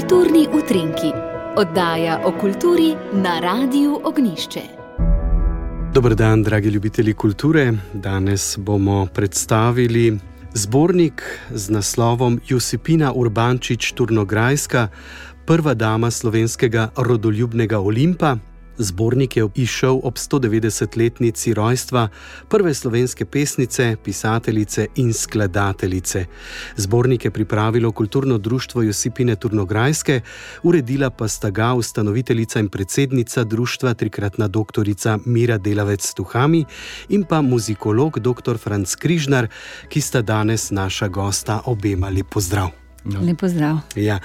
Kulturni utrinki, oddaja o kulturi na Radiu Ognjišče. Dober dan, dragi ljubitelji kulture. Danes bomo predstavili zbornik z naslovom Josipina Urbančič-Turnograjska, prva dama slovenskega rodoljubnega Olimpa. Zbornik je izšel ob 190-letnici rojstva prve slovenske pesnice, pisateljice in skladateljice. Zbornik je pripravilo Kulturno društvo Josipine Turnograjske, uredila pa sta ga ustanoviteljica in predsednica društva, trikratna doktorica Mira Delavec-Tuhami in pa muzikolog dr. Franc Križnar, ki sta danes naša gosta. Obema lep pozdrav. Lep pozdrav. Ja.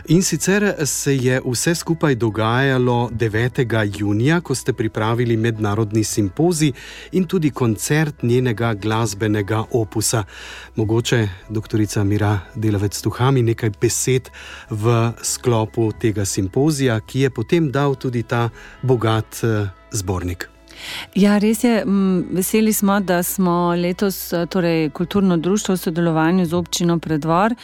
In sicer se je vse skupaj dogajalo 9. junija, ko ste pripravili mednarodni simpozij in tudi koncert njenega glasbenega opusa. Mogoče, doktorica Mira Delavec-Tuhami, nekaj besed v sklopu tega simpozija, ki je potem dal tudi ta bogat zbornik. Ja, res je. Veseli smo, da smo letos, torej Kulturno društvo v sodelovanju z občino Preddvor,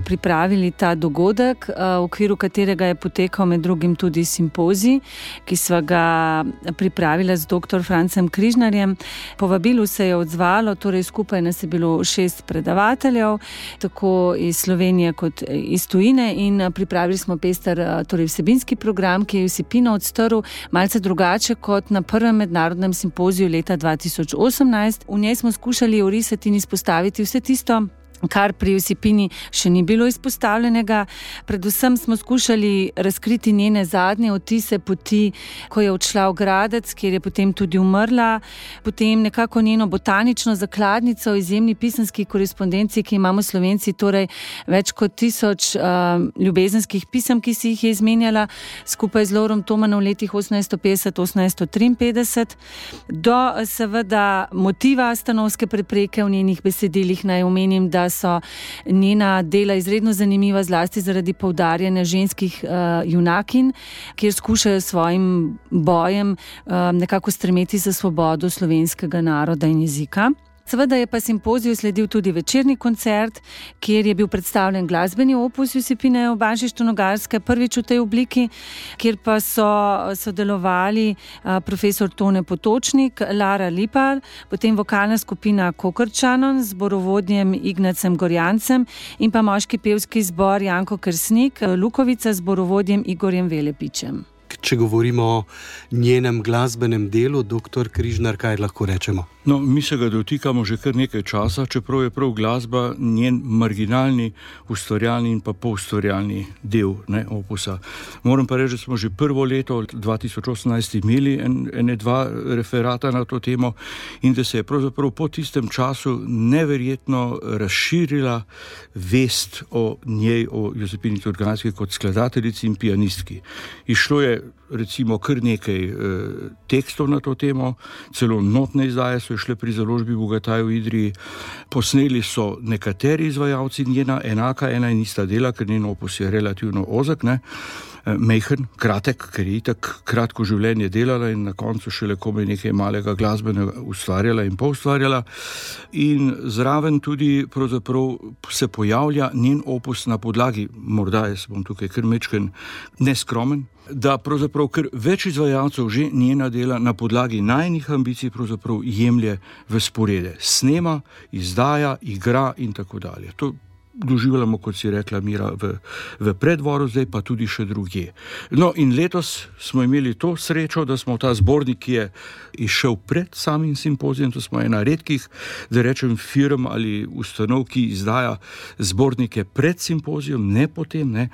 pripravili ta dogodek, v okviru katerega je potekal med drugim tudi simpozij, ki sva ga pripravila z dr. Francem Križnarjem. Povabilu se je odzvalo, torej skupaj nas je bilo 6 predavateljev, tako iz Slovenije kot iz tujine, in pripravili smo pester, torej vsebinski program, ki je Josipino odstrl malce drugače kot na prvem mednarodnem simpoziju leta 2018. V njej smo skušali orisati in izpostaviti vse tisto, kar pri Josipini še ni bilo izpostavljenega. Predvsem smo skušali razkriti njene zadnje odtise poti, ko je odšla v Gradec, kjer je potem tudi umrla, potem nekako njeno botanično zakladnico v izjemni pisanski korespondenci, ki imamo Slovenci, torej več kot 1000 ljubezenskih pisem, ki si jih je izmenjala skupaj z Lovrom Tomanom v letih 1850-1853, do seveda motiva stanovske prepreke v njenih besedilih. Naj omenim, da so njena dela izredno zanimiva, zlasti zaradi poudarjanja ženskih junakinj, kjer skušajo svojim bojem nekako stremeti za svobodo slovenskega naroda in jezika. Seveda je pa simpoziju sledil tudi večerni koncert, kjer je bil predstavljen glasbeni opus Josipine Urbančič-Turnograjske, prvič v tej obliki, kjer pa so sodelovali profesor Tone Potočnik, Lara Lipar, potem vokalna skupina Kokrčanon z zborovodjem Ignacem Gorjancem in pa moški pevski zbor Janko Kersnik, Lukovica z zborovodjem Igorjem Velepičem. Če govorimo o njenem glasbenem delu, dr. Križnar, kaj lahko rečemo? No, mi se ga dotikamo že kar nekaj časa, čeprav je prav glasba njen marginalni, ustvarjalni in pa poustvarjalni del opusa. Moram pa reči, da smo že prvo leto 2018 imeli dva referata na to temo in da se je pravzaprav po tistem času neverjetno razširila vest o njej, o Josipini Turnograjski kot skladateljici in pianistki. Išlo je recimo kar nekaj tekstov na to temo, celo notne izdaje so šle pri založbi Bogataj v Idriji. Posneli so nekateri izvajalci njena enaka, ena in ista dela, ker njen opus je relativno ozek, mejhen, kratek, ker je itak kratko življenje delala in na koncu šele komaj nekaj malega glasbenega ustvarjala in poustvarjala. In zraven tudi pravzaprav se pojavlja njen opus na podlagi, morda jaz bom tukaj kar mečken neskromen, da pravzaprav kar več izvajalcev že njena dela na podlagi najnih ambicij pravzaprav jemlje v sporede. Snema, izdaja, igra in tako dalje. To doživljamo, kot si rekla Mira, v Preddvoru, zdaj pa tudi še drugje. No, in letos smo imeli to srečo, da smo ta zbornik, ki je izšel pred samim simpozijem, to smo ena redkih, da rečem, firm ali ustanov, ki izdaja zbornike pred simpozijem, ne potem,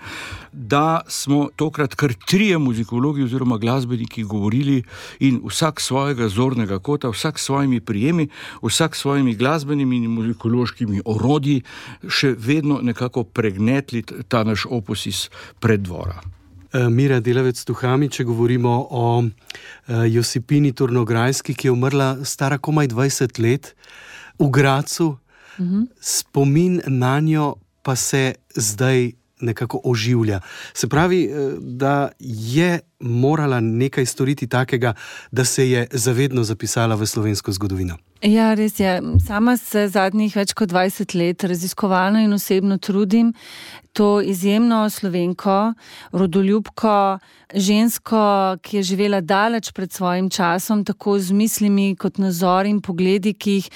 da smo tokrat kar 3 muzikologi oziroma glasbeniki govorili in vsak svojega zornega kota, vsak svojimi prijemi, vsak svojimi glasbenimi in muzikološkimi orodji še vedno nekako pregnetli ta naš opus iz Preddvora. Mira Delavec-Tuhami, če govorimo o Josipini Turnograjski, ki je umrla stara komaj 20 let v Gradcu, spomin na njo pa se zdaj nekako oživlja. Se pravi, da je morala nekaj storiti takega, da se je zavedno zapisala v slovensko zgodovino? Ja, res je. Sama se zadnjih več kot 20 let raziskovalno in osebno trudim to izjemno Slovenko, rodoljubko, žensko, ki je živela daleč pred svojim časom, tako z mislimi kot nazori in pogledi, ki jih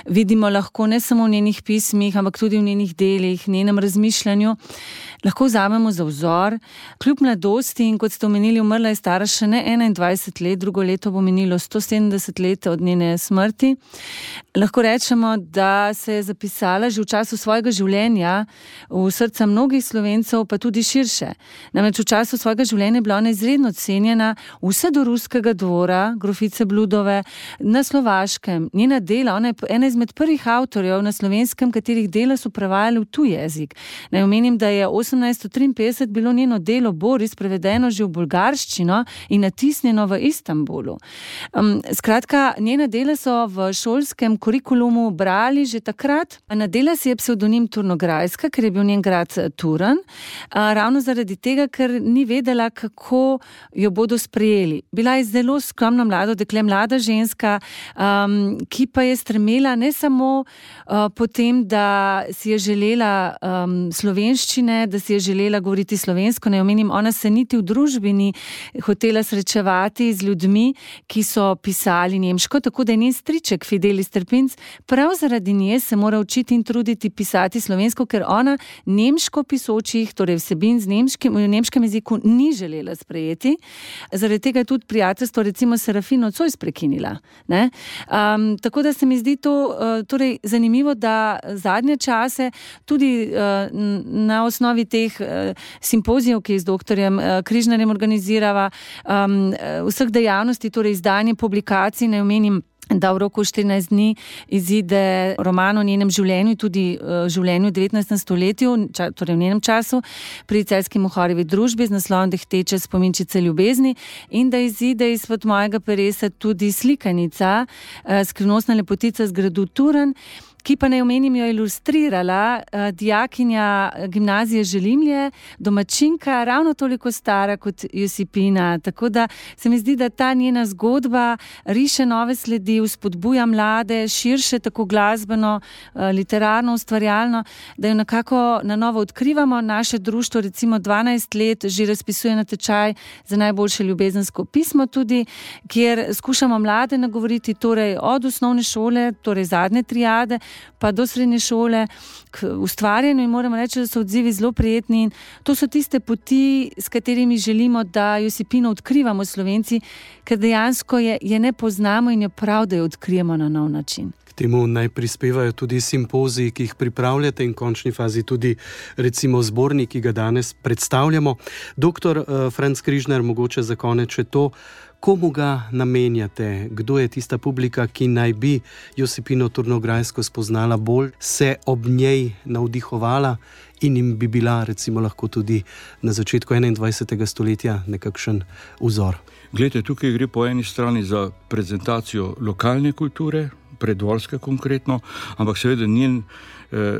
vidimo lahko ne samo v njenih pismih, ampak tudi v njenih delih, njenem razmišljanju, lahko vzamemo za vzor. Kljub mladosti in kot ste omenili, umrla je stara še ne 21 let, drugo leto bo minilo 170 let od njene smrti. Lahko rečemo, da se je zapisala že v času svojega življenja v srca mnogih Slovencev, pa tudi širše. Namreč v času svojega življenja je bila ona izredno cenjena vse do ruskega dvora, grofice Bludove, na Slovaškem. Njena dela, ona je ena izmed prvih avtorjev na slovenskem, katerih dela so prevajali v tuj jezik. Naj omenim, da je 1853 bilo njeno delo Boris prevedeno že v bolgarščino in natisnjeno v Istanbulu. Skratka, njena dela so v šolskem kurikulumu brali že takrat. Nadela si je psevdonim Turnograjska, ker je bil njen grad Turan, ravno zaradi tega, ker ni vedela, kako jo bodo sprejeli. Bila je zelo skromno mlado dekle, mlada ženska, ki pa je stremela ne samo po tem, da si je želela slovenščine, da si je želela govoriti slovensko. Ne omenim, ona se niti v družbi ni hotela srečevati z ljudmi, ki so pisali nemško, tako da je njen striček Fidelis Trpinc prav zaradi nje se mora učiti in truditi pisati slovensko, ker ona nemško pisočih, torej vsebin v nemškem jeziku ni želela sprejeti. Zaradi tega je tudi prijateljstvo recimo Serafino Zois prekinila. Tako da se mi zdi to torej zanimivo, da zadnje čase tudi na osnovi teh simpozijev, ki z doktorjem Križnarjem organizirava, vseh dejavnosti, torej izdanje publikacij, ne omenim, da v roku 14 dni izide roman o njenem življenju, tudi življenju v 19. stoletju, torej v njenem času, pri Celjski Mohorjevi družbi z naslovom Dehteče spominčice ljubezni, in da izide izpod mojega peresa tudi slikanica Skrivnostna lepotica z gradu Turan, ki pa naj omenim jo ilustrirala dijakinja gimnazije Želimlje, domačinka, ravno toliko stara kot Josipina. Tako da se mi zdi, da ta njena zgodba riše nove sledi, vzpodbuja mlade, širše, tako glasbeno, literarno, ustvarjalno, da jo nekako na novo odkrivamo. Naše društvo recimo 12 let že razpisuje natečaj za najboljše ljubezensko pismo tudi, kjer skušamo mlade nagovoriti torej od osnovne šole, torej zadnje triade, pa do srednje šole k ustvarjanju, in moram reči, da so odzivi zelo prijetni in to so tiste poti, s katerimi želimo, da Josipino odkrivamo Slovenci, ker dejansko je ne poznamo in je prav, da jo odkrijemo na nov način. K temu naj prispevajo tudi simpoziji, ki jih pripravljate, in v končni fazi tudi recimo zbornik, ki ga danes predstavljamo. Doktor Franc Križnar, mogoče za konec še to, komu ga namenjate? Kdo je tista publika, ki naj bi Josipino Turnograjsko spoznala bolj, se ob njej navdihovala in jim bi bila recimo lahko tudi na začetku 21. stoletja nekakšen vzor? Glejte, tukaj gre po eni strani za prezentacijo lokalne kulture, predvorske konkretno, ampak seveda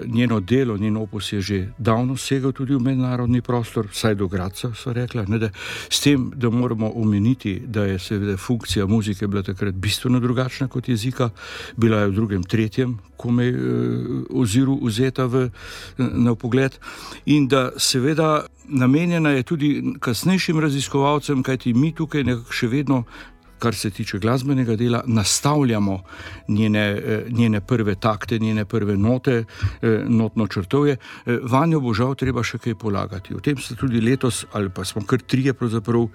njeno delo, njen opus je že davno segal tudi v mednarodni prostor, vsaj do Gradca, so rekla, s tem, da moramo omeniti, da je seveda funkcija muzike bila takrat bistveno drugačna kot jezika, bila je v drugem, tretjem komaj oziru vzeta na pogled, in da seveda namenjena je tudi kasnejšim raziskovalcem, kajti mi tukaj nekako še vedno, kar se tiče glasbenega dela, nastavljamo njene prve takte, njene prve note, notno črtovje. Vanjo bo žal treba še kaj polagati. O tem ste tudi letos, ali pa smo kar trije pravzaprav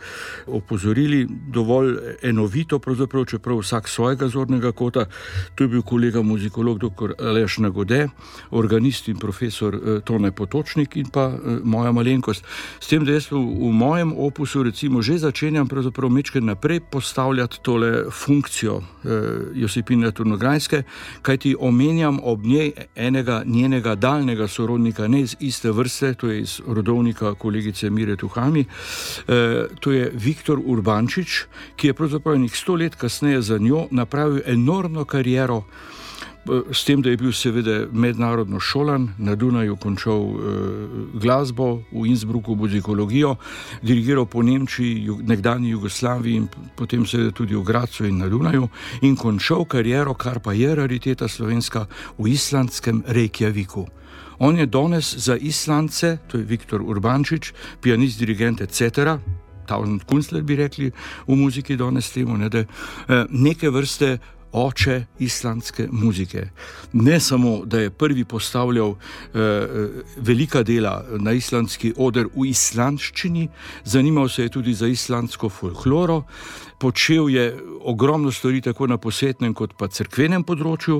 opozorili, dovolj enovito pravzaprav, čeprav vsak svojega zornega kota. To je bil kolega muzikolog dr. Aleš Nagode, organist in profesor Tone Potočnik in pa moja malenkost. S tem, da jaz v mojem opusu recimo že začenjam pravzaprav mečkaj naprej postavljati tole funkcijo Josipine Turnograjske, kajti omenjam ob njej enega njenega daljnega sorodnika, ne iz iste vrste, to je iz rodovnika kolegice Mire Tuhami, to je Viktor Urbančič, ki je pravzaprav 100 let kasneje za njo napravil enormno kariero. s tem, da je bil seveda mednarodno šolan, na Dunaju končal glasbo, v Innsbrucku muzikologijo, dirigiral po Nemčiji, nekdanji Jugoslaviji in potem seveda tudi v Gracu in na Dunaju in končal kariero, kar pa je rariteta slovenska, v islandskem Reykjaviku. On je danes za Islandce, to je Viktor Urbančič, pianist, dirigent etc., Tausendkünstler bi rekli v muziki danes temu, da neke vrste oče islandske muzike. Ne samo, da je prvi postavljal velika dela na islandski oder v islandščini, zanimal se je tudi za islandsko folkloro, počel je ogromno stvari tako na posvetnem kot pa cerkvenem področju,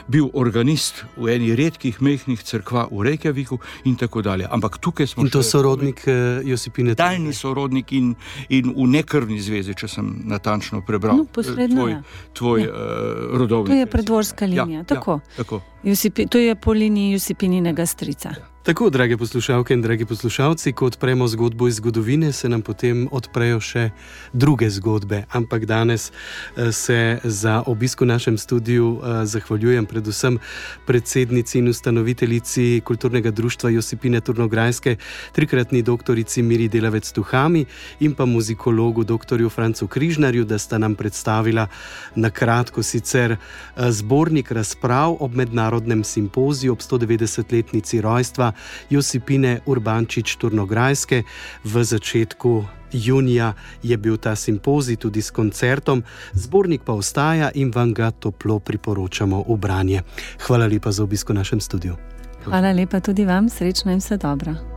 bil organist v eni redkih mehkih cerkva v Reykjaviku in tako dalje. Ampak tukaj smo... In to sorodnik Josipine? Daljni sorodnik in v nekrvni zvezi, če sem natančno prebral tvoj rodovnik. To je predvorska linija, tako. To je po liniji Josipininega strica. Tako, drage poslušalke in dragi poslušalci, ko odpremo zgodbo iz zgodovine, se nam potem odprejo še druge zgodbe. Ampak danes se za obisk v našem studiu zahvaljujem predvsem predsednici in ustanoviteljici Kulturnega društva Josipine Turnograjske, trikratni doktorici Miri Delavec-Tuhami in pa muzikologu doktorju Francu Križnarju, da sta nam predstavila na kratko sicer zbornik razprav ob mednarodnem simpoziju ob 190-letnici rojstva Josipine Urbančič Turnograjske. V začetku junija je bil ta simpozij tudi s koncertom, zbornik pa ostaja in vam ga toplo priporočamo v branje. Hvala lepa za obisk v našem studiu. Hvala lepa tudi vam, srečno in vse dobro.